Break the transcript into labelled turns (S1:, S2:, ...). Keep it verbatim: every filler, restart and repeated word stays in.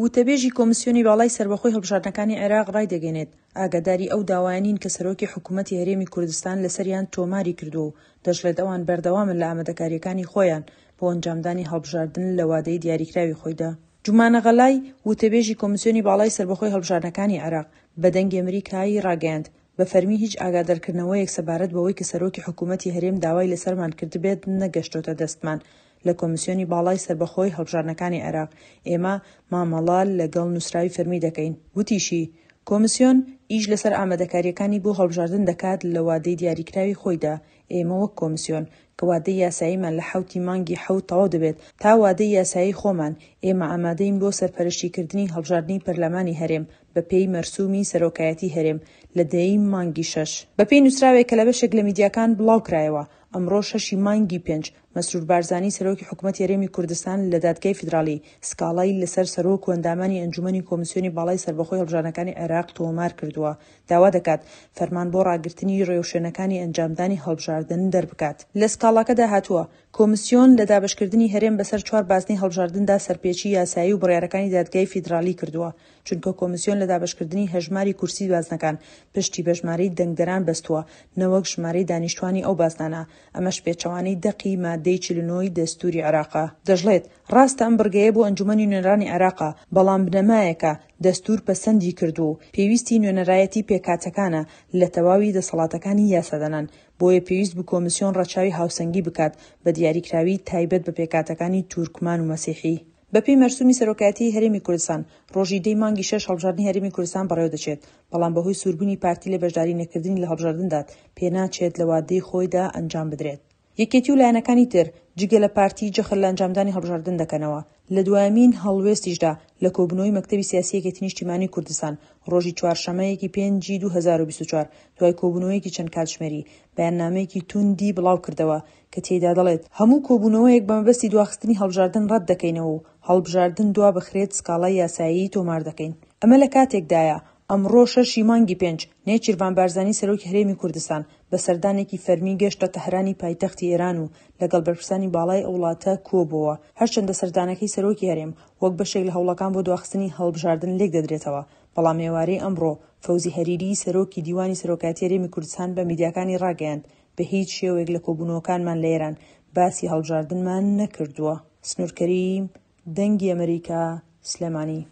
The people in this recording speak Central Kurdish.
S1: وتەبێژی کۆمسیۆنی باڵای سەربەخۆی هەڵبژاردنەکانی عێراق ڕایدەگەیەنێت، ئاگاداری ئەو داوایە نین کە سەرۆکی حکومەتی هەرێمی کوردستان لەسەریان تۆماری کردووە و دەشڵێت ئەوان بەردەوامن لە ئامادەکارییەکانی خۆیان بۆ ئەنجامدانی هەڵبژاردن لە وادەی دیاریکراوی خۆیدا. جومانە غەلای، وتەبێژی کۆمسیۆنی باڵای سەربەخۆی هەڵبژاردنەکانی عێراق، بە دەنگی ئەمریکای ڕاگەیاند، بە فەرمی هیچ ئاگادارکردنەوەیەک سەبارەت بەوەی کە سەرۆکی حکومەتی هەرێم داوای لەسەرمان کردبێت نەگەشتۆتە دەستمان لە کۆمسیۆنی باڵای سەربەخۆی هەڵبژاردنەکانی عێراق، ئێمە مامەڵە لەگەڵ نووسراوی فەرمی دەکەین. وتیشی، کۆمسیۆن ئیش لەسەر ئامادەکارییەکانی بۆ هەڵبژاردن دەکات لە وادەی دیاریکراوی خۆیدا، ئێمە وەک کۆمسیۆن کە وادەی یاساییمان لە حەوتی مانگی حەوت تەواو دەبێت تا وادەی یاسایی خۆمان، ئێمە ئامادەین بۆ سەرپەرشتیکردنی هەڵبژاردنی پەرلەمانی هەرێم بەپێی مەرسومی سەرۆکایەتی هەرێم لە دە ی مانگی شەش. بەپێی نووسراوێک کە لە بەشێک لە میدیاکان بڵاوکرایەوە، ئەمڕۆ شەشی مانگی پێنج، مەسرور بارزانی سەرۆکی حکومەتی هەرێمی کوردستان لە دادگای فیدراڵی سکاڵای لەسەر سەرۆک و ئەندامانی ئەنجومەنی کۆمسیۆنی باڵای سەربەخۆی هەڵبژاردنەکانی عێراق تۆمار کردووە، داوا دەکات فەرمان بۆ ڕاگرتنی ڕێوشوێنەکانی ئەنجامدانی هەڵبژاردن دەربکات. لە سکاڵاکەدا هاتووە، کۆمسیۆن لە دابەشکردنی هەرێم بەسەر چوار بازنەی هەڵبژاردندا سەرپێچی یاسایی و بڕیارەکانی دادگای فیدراڵی کردووە، چونکە کۆمسیۆن لە دابەشکردنی هەژماری کورسی بازنەکان پشتی بە ژمارەی دەنگدەران بەستووە نەوەک ژمارەی دانیشتوانی ئەو بازنانە، ئەمەش پێچەوانەی دەقی مادەی چل و نۆ ی دەستوری عێراقە. دەشڵێت، ڕاستە ئەم بڕگەیە بۆ ئەنجومەنی نوێنەرانی عێراقە، بەڵام بنەمایەکە دەستور پەسەندی کردووە و پێویستی نوێنەرایەتی پێکهاتەکانە لە تەواوی دەسەڵاتەکانی یاسادانان، بۆیە پێویست بوو کۆمسیۆن ڕەچاوی هاوسەنگی بکات بە دیاریکراوی تایبەت بە پێکهاتەکانی تورکمان و مەسیحی. بەپێی مەرسومی سەرۆکایەتیی هەرێمی کوردستان، ڕۆژی دەی مانگی شەش هەڵبژاردنی هەرێمی کوردستان بەڕێوەدەچێت، بەڵام بەهۆی سووربوونی پارتی لە بەشداری نەکردنی لە هەڵبژاردندا پێناچێت لە وادەی خۆیدا ئەنجام بدرێت. یەکێتی و لایەنەکانی تر جگە لە پارتی جەخت لە ئەنجامدانی هەڵبژاردن دەکەنەوە. لە دوایەمین هەڵوێستیشدا لە کۆبوونەوەی مەکتەبی سیاسی یەکێتی نیشتیمانی کوردستان ڕۆژی چوارشەممە یەکی پێنجی دوو هەزار و بیست و چوار دوای کۆبوونەوەیەکی چەند کاتژمێری بەیاننامەیەکی توندی بڵاوکردەوە کە تێیدا دەڵێت هەموو کۆبوونەوەیەک بە مەبەستی دواخستنی هەڵبژاردن ڕەت دەکەینەوە و هەڵبژاردن دوابخرێت سکاڵای یاسایی تۆمار دەکەین. ئەمە لە کاتێکدایە ئەمڕۆ شەش ی مانگی پێنج، نێچیرڤان بارزانی سەرۆکی هەرێمی کوردستان بە سەردانێکی فەرمی گەشتە تەهرانی پایتەختی ئێران و لەگەڵ بەرپرسانی باڵای ئەو وڵاتە کۆبۆوە. هەرچەندە سەردانەکەی سەرۆکی هەرێم وەک بەشێک لە هەوڵەکان بۆ دواخستنی هەڵبژاردن لێکدەدرێتەوە، بەڵام ئێوارەی ئەمڕۆ فەوزی هەریری سەرۆکی دیوانی سەرۆکایەتی هەرێمی کوردستان بە میدیاکانی ڕاگەیاند، بە هیچ شێوەیەک لە کۆبوونەوەکانمان لە ئێران باسی هەڵبژاردنمان نەکردووە. سنوور کەریم، دەنگی ئەمەریکا، سلێمانی.